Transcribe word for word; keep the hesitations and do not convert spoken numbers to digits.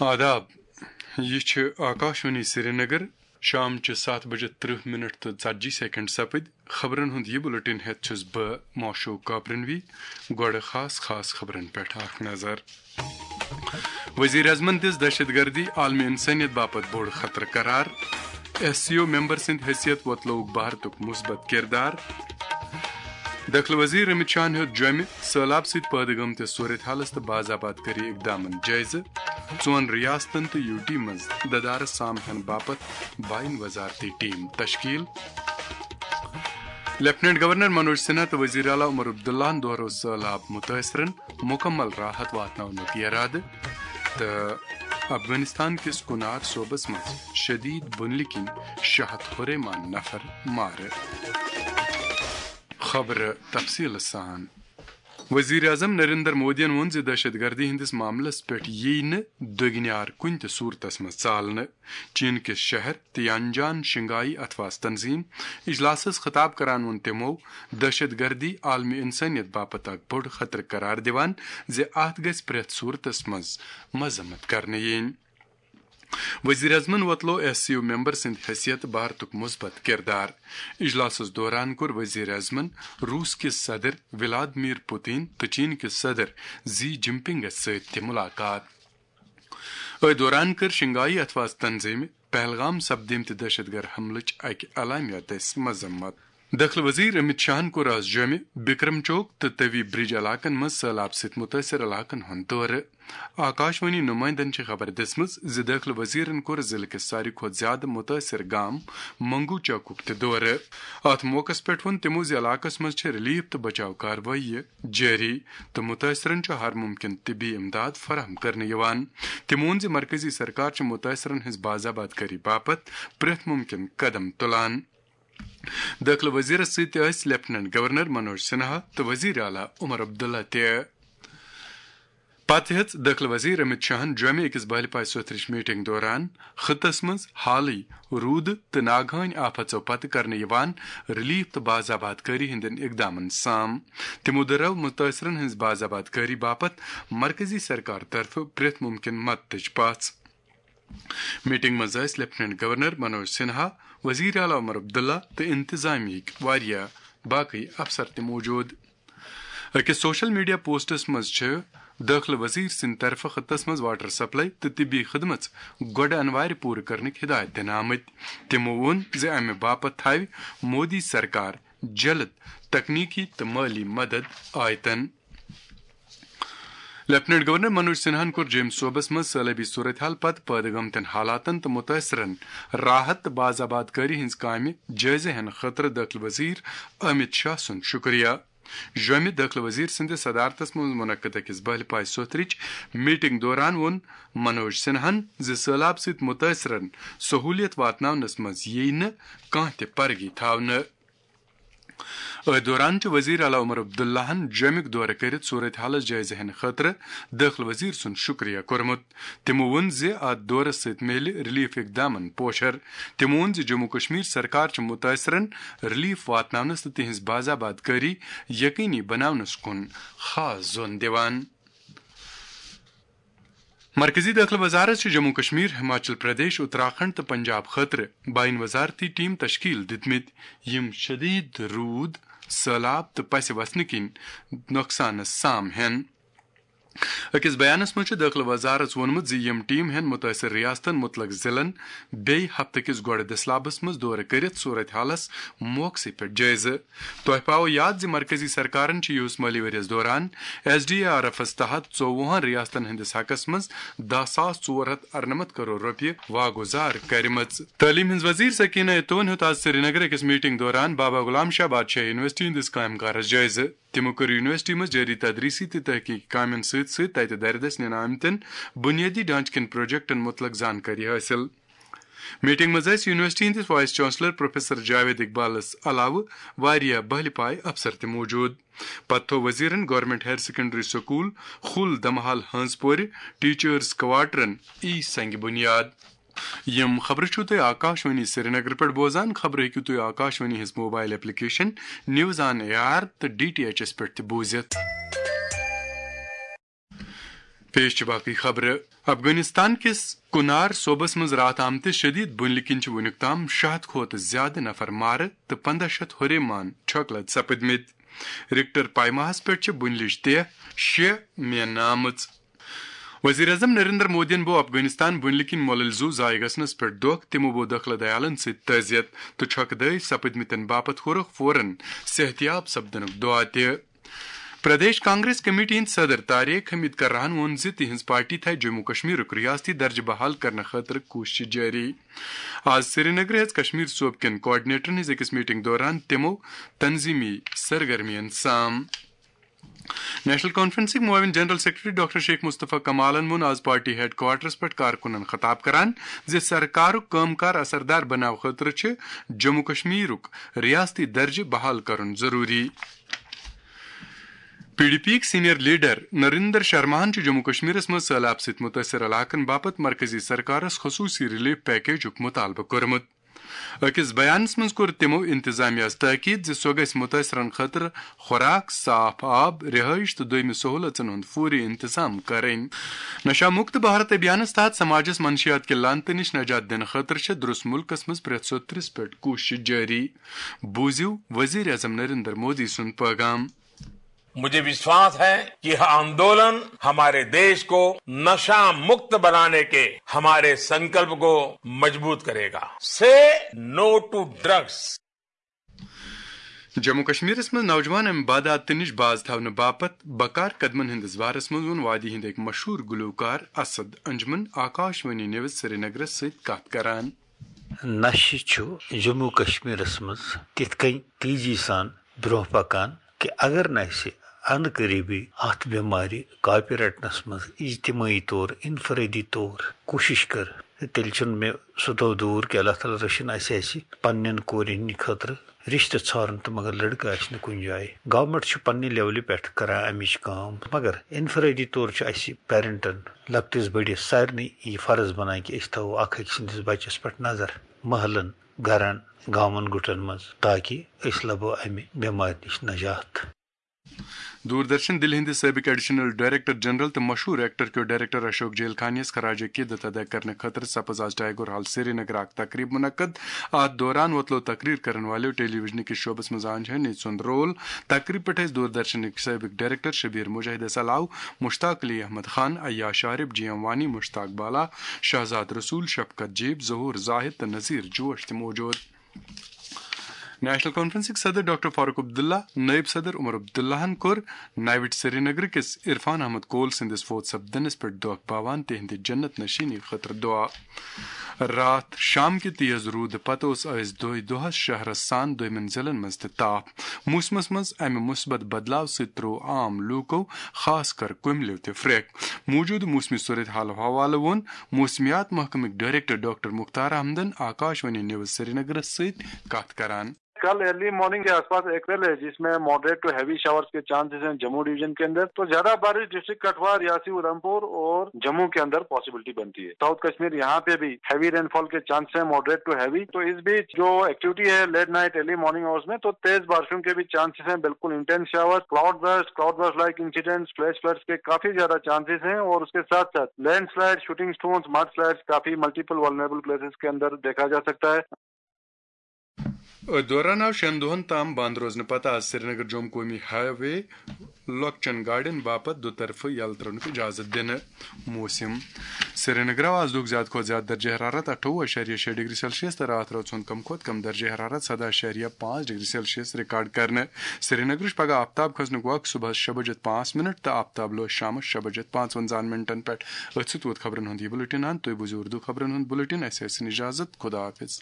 آداب، یہِ چھِ آکاشوانی سرینگر۔ شام چہِ ستھ بجہِ ترٕہ منٹ تہٕ ژتجی سیکنڈ سپٕدۍ۔ خبرن ہُنٛد یہِ بُلٹن ہٮ۪تھ چھُس بہٕ معشوق کاپرنوی۔ گۄڈٕ خاص خاص خبرن پٮ۪ٹھ اکھ نظر۔ وزیر اعظمن دِژ دہشت گردی عالمی انسانیت باپتھ بوٚڑ خطرٕ قرار۔ ایس سی او ممبر سٕنٛدِ حیثیت وۄتلووُکھ بھارتُک مثبت کردار۔ دٲخلہٕ وزیر امت شاہن ہیوٚت جوٚمہِ سٔہلاب سۭتۍ پٲدٕ گٔمتِس صورتحالس تہٕ باز آباد کٲری اقدامن جٲیزٕ۔ ژۄن ریاستن تہٕ یو ٹی منٛز ددارس سام ہینہٕ باپتھ باین وزارتی ٹیم تشکیل۔ لیفٹیننٹ گورنر منوج سنہا تہٕ وزیر اعلیٰ عمر عبداللہن دۄہروو سٔہلاب متٲثرن مکمل راحت واتناونُک ارادٕ۔ تہٕ افغانستان کِس کنار صوبس منٛز شدید بُنلہِ کِنۍ شےٚ ہتھ ہُریمان نفر مارٕ۔ خبرٕ تفصیٖلہٕ سان۔ وزیر اعظم نریندر مودیَن ووٚن زِ دہشت گردی ہٕنٛدِس معاملس پٮ۪ٹھ یِیہِ نہٕ دٔگنیار کُنہِ تہِ صورتس منٛز ژالنہٕ۔ چین کِس شہر تیانجان شنگائی اتھواس تنظیم اجلاسس خطاب کران ووٚن تِمو، دہشت گردی عالمی انسانیت باپتھ اکھ بوٚڑ خطرٕ قرار دِوان زِ اتھ گژھِ پرٛٮ۪تھ صورتس منٛز مذمت کرنہٕ یِنۍ۔ وزیر اعظمن وۄتلو ایس سی یو ممبر سٕنٛدِ حیثیت بھارتُک مثبت کردار۔ اجلاسس دوران کوٚر وزیر اعظمن روس کِس صدر ولادمیر پوتین تہٕ چین کِس صدر زی جن پنگس سۭتۍ تہِ ملاقات۔ أتھۍ دوران کٔر شنگائی اتھواس تنظیمہِ پہلگام سپدیمتہِ دہشت گرد حملٕچ اکہِ اعلامیہ دٔسۍ مذمت۔ دٲخلہٕ وزیر امت شاہن کوٚر از جوٚمہِ، بکرم چوک تہٕ توی برج علاقن منٛز سٔہلاب سۭتۍ متٲثر علاقن ہُنٛد دورٕ۔ آکاشوانی نمائندن چھِ خبر دِژمٕژ زِ دٲخلہٕ وزیرن کوٚر ضلعہٕ کِس ساروی کھۄتہٕ زیادٕ متٲثر گام منگو چوکُک تہِ دورٕ۔ اتھ موقعس پٮ۪ٹھ ووٚن تِمو زِ علاقس منٛز چھِ ریلیف تہٕ بچاو کاروٲیی جٲری تہٕ متٲثرن چھُ ہر ممکن طبی امداد فراہم کرنہٕ یِوان۔ تِمو ووٚن زِ مرکزی سرکار چھِ متٲثرن ہٕنٛز باز آباد کٲری باپتھ پرٛٮ۪تھ ممکن قدم تُلان۔ دٲخلہٕ وزیرس سۭتۍ تہِ ٲسۍ لیفٹیننٹ گورنر منوج سنہا تہٕ وزیر اعلیٰ عمر عبداللہ تہِ۔ پتہٕ ہیٚژ دٲخلہٕ وزیر امت شاہن جوٚمہِ أکِس بہلہِ پایہِ سوٚتھرِچ میٹنگ دوران خطس منٛز حالٕے روٗدٕ تہٕ ناگہٲنۍ آفتو پتہٕ کرنہٕ یِوان ریلیف تہٕ باز آباد کٲری ہٕنٛدٮ۪ن اقدامن سام۔ تِمو دۄہرٲو متٲثرن ہٕنٛز باز آباد کٲری باپتھ مرکزی سرکار طرفہٕ پرٛٮ۪تھ ممکن مدتٕچ پژھ۔ میٹنگ منٛز ٲسۍ لیفٹیننٹ گورنر منوج سنہا، وزیر اعلیٰ عمر عبداللہ تہٕ انتظامیہٕکۍ واریاہ باقٕے افسر تہِ موجود۔ أکِس سوشل میڈیا پوسٹس منٛز چھِ دٲخلہٕ وزیر سٕنٛدِ طرفہٕ خطس منٛز واٹر سپلائی تہٕ طبی خدمژ گۄڈٕ انوارِ پوٗرٕ کرنٕکۍ ہدایت دِنہٕ آمٕتۍ۔ تِمو ووٚن زِ امہِ باپتھ تھاوِ مودی سرکار جلد تکنیکی تہٕ مٲلی مدد آیتن۔ لیفٹیننٹ گورنر منوج سنہاہن کوٚر جوٚمہِ صوبس منٛز سٲلٲبی صورتحال پتہٕ پٲدٕ گٔمتٮ۪ن حالاتن تہٕ متٲثرن راحت تہٕ باز آباد کٲری ہٕنٛز کامہِ جٲیزٕ ہٮ۪نہٕ خٲطرٕ دٲخلہٕ وزیر امت شاہ سُنٛد شُکریہ۔ جوٚمہِ دٲخلہٕ وزیر سٕنٛدِس صدارتس منٛز منعقد أکِس بہلہِ پایہِ سوٚتھرِچ میٹنگ دوران ووٚن منوج سنہاہن زِ سٔہلاب سۭتۍ متٲثرن سہوٗلیت واتناونس منٛز یِیہِ نہٕ کانٛہہ تہِ پرگی تھاونہٕ۔ أتھۍ دوران چھُ وزیر اعلیٰ عمر عبداللہن جوٚمیُک دورٕ کٔرِتھ صورت حالس جٲیزٕ ہٮ۪نہٕ خٲطرٕ دٲخلہٕ وزیر سُنٛد شُکریہ کوٚرمُت۔ تِمو ووٚن زِ اتھ دورس سۭتۍ میلہِ ریلیف اقدامن پوشر۔ تِمو ووٚن زِ جموں کشمیر سرکار چھِ متٲثرن ریلیف واتناونس تہٕ تِہنٛز باز آباد کٲری یقینی بناونس کُن خاص زون دِوان۔ مرکزی دٲخلہٕ وزارت چھُ جموں کشمیر، ہماچل پردیش، اتراکھنڈ تہٕ پنجاب خٲطرٕ باین وزارتی ٹیم تشکیل دِتمٕتۍ، یِم شدید روٗد، سٔہلاب تہٕ پسہِ وسنہٕ کِنۍ نۄقصانس سام ہٮ۪ن۔ أکِس بیانس منٛز چھُ دٲخلہٕ وزارت ووٚنمُت زِ یِم ٹیم ہٮ۪ن مُتٲثر ریاستن، مُتلق ضلعن بیٚیہِ ہفتہٕ کِس گۄڈٕ دٔسلابس منٛز دورٕ کٔرِتھ صورت حالس موقعسٕے پٮ۪ٹھ جٲیزٕ۔ تۄہہِ پاوو یاد زِ مرکزی سرکارن چھِ یِہُس مٲلی ؤرۍ یَس دوران ایس ڈی آر ایفس تحت ژوٚوُہن ریاستن ہٕنٛدِس حقس منٛز دَہ ساس ژور ہَتھ اَرنَمَتھ کرور رۄپیہِ واگُزار کرِمٕژ۔ تعلیٖم ہٕنٛز وزیر سکینہ اتون ہیوٚت آز سرینگر أکِس میٹنگ دوران بابا غلام شاہ بادشاہ یونیورسٹی ہٕنٛدِس کامہِ کارس جٲیزٕ۔ تِمو کٔر یونیورسٹی منٛز جٲری تدریٖسی تہٕ تحقیقی کامٮ۪ن سۭتۍ سۭتۍ تتہِ دَرِ دٔسۍ نِنہٕ آمتٮ۪ن بُنیٲدی ڈھانچہٕ کٮ۪ن پروجیکٹن مُتلق زانکٲری حٲصِل۔ میٹنگ منٛز ٲسۍ یونیورسٹی ہٕنٛدِس وائس چانسلر پروفیسر جاوید اقبالس علاوٕ واریاہ بہلہِ پایہِ افسر تہِ موجود۔ پتہٕ تھوٚو وزیرن گورنمنٹ ہائر سیکنڈری سکول خل دمحال ہنز پورِ ٹیچرز کوارٹرن ای سنگ بنیاد۔ یِم خبرٕ چھِو تُہۍ آکاشوانی سرینگر پٮ۪ٹھ بوزان۔ خبرٕ ہیٚکِو تُہۍ آکاشوانی ہٕنٛز mobile application news on A R تہٕ ڈی ٹی ایچ ایس پٮ۪ٹھ تہِ بوٗزِتھ۔ پیش چھِ باقٕے خبرٕ۔ افغانستان کِس کنار صوبس منٛز راتھ آمتِس شدید بُنلہِ کِنۍ چھِ وُنیُک تام شیٚے ہتھ کھۄتہٕ زیادٕ نفر مارٕ تہٕ پنٛداہ شیٚتھ ہُرے مان چھۄکہٕ لد سپٕدمٕتۍ۔ رِکٹر پیماہس پٮ۪ٹھ چھِ بُنلٕچ تیہ شےٚ میننہٕ آمٕژ۔ وزیر اعظم نریندر مودیَن بوو افغانستان بُنلہِ کِنۍ مۄلٕلۍ زُو ضایع گژھنس پٮ۪ٹھ دۄکھ۔ تِمو بوو دخلہٕ دیالن سۭتۍ تعزیت تہٕ چھۄکہٕ دٲرۍ سپٕدمٕتٮ۪ن باپتھ کوٚرُکھ فوراً صحتیاب سپدنُک دعا تہِ۔ پردیش کانگریس کمیٹی ہٕنٛدۍ صدر طارق حمید کرہَن ووٚن زِ تِہنٛز پارٹی تھایہِ جموں کشمیرُک ریاستی درجہٕ بحال کرنہٕ خٲطرٕ کوٗششہٕ جٲری۔ آز سرینگرٕ ہیٚژ کشمیر صوبہٕ کٮ۪ن کوآرڈینیٹرن ہٕنٛز أکِس میٹنگ دوران تِمو تنظیمی سرگرمیَن سام۔ نیشنل کانفرنسٕکۍ معاون جنرل سیکرٹری ڈاکٹر شیخ مصطفیٰ کمالن ووٚن آز پارٹی ہیڈ کوارٹرس پٮ۪ٹھ کارکُنن خطاب کران زِ سرکارُک کٲم کار اثردار بناونہٕ خٲطرٕ چھُ جموں کشمیرُک ریاستی درجہٕ بحال کرُن ضروٗری۔ پی ڈی پی یِک سینئر لیڈر نریندر شرماہن چھُ جموں کشمیرس منٛز سٔہلاب سۭتۍ مُتٲثر علاقن باپتھ مرکزی سرکارس خصوٗصی ریلیف پیکیجُک مُطالبہٕ کوٚرمُت۔ أکِس بیانس منٛز کوٚر تِمو انتظامیہس تاکید زِ سۄ گژھِ مُتٲثرن خٲطرٕ خوراک، صاف آب، رہٲیش تہٕ دوٚیمہِ سہوٗلژن ہُنٛد فوری انتظام کرٕنۍ۔ نشہ مکت بھارت ابھیانس تحت سماجس منشیات کہِ لعنتہٕ نِش نجات دِنہٕ خٲطرٕ چھےٚ درس مُلکس منٛز پرٛٮ۪تھ سوٚترِس پٮ۪ٹھ کوٗشش جٲری۔ بوٗزِو وزیر اعظم نریندر مودی سُنٛد پیغام۔ मुझे विश्वास है कि यह आंदोलन हमारे देश को नशा मुक्त बनाने के हमारे संकल्प को मजबूत करेगा। Say no to drugs। Jammu کشمیرس منٛز نوجوان امہِ بدعاتہٕ نِش باز تھاونہٕ باپتھ بکار قدمن ہٕنٛدِس بارس منٛز ووٚن وادی ہٕنٛدۍ أکۍ مشہوٗر گلوکار اسد انجمن آکاش وانی نیوز سرینگرس سۭتۍ کتھ کران۔ نشہٕ چھُ جموں کشمیرس منٛز تِتھ کٔنۍ تیزی سان برونٛہہ پکان کہِ اگر نہٕ اسہِ ان قریبی اتھ بٮ۪مارِ کاپہِ رٹنس منٛز اجتمٲعی طور، انفرٲدی طور کوٗشش کٔر، تہٕ تیٚلہِ چھُنہٕ مےٚ سُہ دۄہ دوٗر کہِ اللہ تعالیٰ رٔچھِن اسہِ آسہِ پننٮ۪ن کورٮ۪ن ہٕنٛدِ خٲطرٕ رشتہٕ ژھارُن تہٕ مگر لڑکہٕ آسہِ نہٕ کُنہِ جایہِ۔ گورنمنٹ چھُ پننہِ لیولہِ پٮ۪ٹھ کران امِچ کٲم، مگر انفرٲدی طور چھُ اسہِ پیرنٹن لۄکٹِس بٔڑِس سارنٕے یہِ فرض بنان کہِ أسۍ تھاوو اکھ أکۍ سٕنٛدِس بچس پٮ۪ٹھ نظر، محلن، گرن، گامن گُٹن منٛز، تاکہِ أسۍ لبو امہِ بٮ۪مارِ نِش نجات۔ دوردرشن دِلہِ ہٕنٛدِ سٲبِق ایڈیشنل ڈائریکٹر جنرل تہٕ مشہوٗر ایکٹر کیو ڈائریکٹر اشوک جیل خانیس خراج عقیدت ادا کرنہٕ خٲطرٕ سپٕز آز ٹائیگر ہال سرینگر اکھ تقریب منعقد۔ اتھ دوران وۄتلو تقریر کرن والیو ٹیلی ویژن کِس شعبس منٛز آنجہنی سُنٛد رول۔ تقریب پٮ۪ٹھ ٲسۍ دوردرشنٕکۍ سٲبِق ڈائریکٹر شبیر مجاہدس علاوٕ مشتاق علی احمد خان، عیاش عارف، جی ایم وانی، مشتاق بالا، شہزاد رسول، شفقت جیب، ظہور زاہد تہٕ نذیر جوش تہِ موجود۔ نیشنل کانفرنسٕکۍ صدر ڈاکٹر فاروق عبداللہ، نائب صدر عمر عبداللہن کوٚر ناوٹ سرینگر کِس عرفان احمد کول سٕنٛدِس فوت سپدنس پٮ۪ٹھ دۄکھ باوان تِہنٛدِ جنت نشیٖنی خٲطرٕ دعا۔ راتھ شام کہِ تیز روٗدٕ پتہٕ اوس ٲسۍ دۄہے دۄہس شہرس سان دوٚیمٮ۪ن ضلعن منٛز تہِ تاپھ۔ موسمس منٛز امہِ مثبت بدلاو سۭتۍ تروو عام لوٗکو، خاص کر کُملیو تہِ پھرٛکھ۔ موجودٕ موسمی صورت حال حوالہٕ ووٚن موسمیات محکمٕکۍ ڈائریکٹر ڈاکٹر مختار احمدن آکاش وانی نیوز سرینگرس سۭتۍ کتھ کران۔ کل ارلی مارننگ کے آس پاس ایک سیل ہے جس میں ماڈریٹ ٹو ہیوی شاورز کے چانسز ہیں جموں ڈویژن کے اندر۔ تو زیادہ بارش ڈسٹرکٹ کٹھوا، ریاسی اودھمپور اور جموں کے اندر پاسبلٹی بنتی ہے۔ ساؤتھ کشمیر یہاں پہ بھی ہیوی رین فال کے چانس ہیں، ماڈریٹ ٹو ہیوی۔ تو اس بیچ جو ایکٹیویٹی ہے late night early morning hours میں، تو تیز بارشوں کے بھی چانسز ہیں، بالکل intense shower, cloudburst, cloudburst like incidents, flash floods کے کافی زیادہ چانسز ہیں اور اس کے ساتھ ساتھ landslide, shooting stones, mudslides کافی ملٹیپل ولنریبل پلیسز کے اندر دیکھا جا سکتا ہے۔ أتھۍ دوران آو شٮ۪ن دۄہن تام بنٛد روزنہٕ پتہٕ آز سرینگر جوم قومی ہاے وے لۄکچٮ۪ن گاڑٮ۪ن باپتھ دُطرفہٕ یلہٕ ترٛاونُک اجازت دِنہٕ۔ موسم۔ سرینگر آو آز دۄہُک زیادٕ کھۄتہٕ زیادٕ درجہ حرارت اَٹھووُہ اَشاریہ شےٚ ڈگری سیلسیس تہٕ راتھ رٲژ ہُنٛد کم کھۄتہٕ کم درجہ حرارت سَداہ اَشاریہ پانٛژھ ڈگری سیلسیس ریکارڈ کرنہٕ۔ سرینگرٕچ پگہہ آفتاب کھسنُک وقت صبحس شےٚ بجے پانٛژھ منٹ تہٕ آفتاب لوس شامس شےٚ بجے پانٛژوَنزاہن منٹن پٮ۪ٹھ۔ أتھۍ سۭتۍ ووت خبرن ہُنٛد یہِ بُلٹن اند۔ تُہۍ بوٗزِو اردو خبرن ہُنٛد بُلٹن۔ اَسہِ ٲسِن اجازت۔ خدا حافظ۔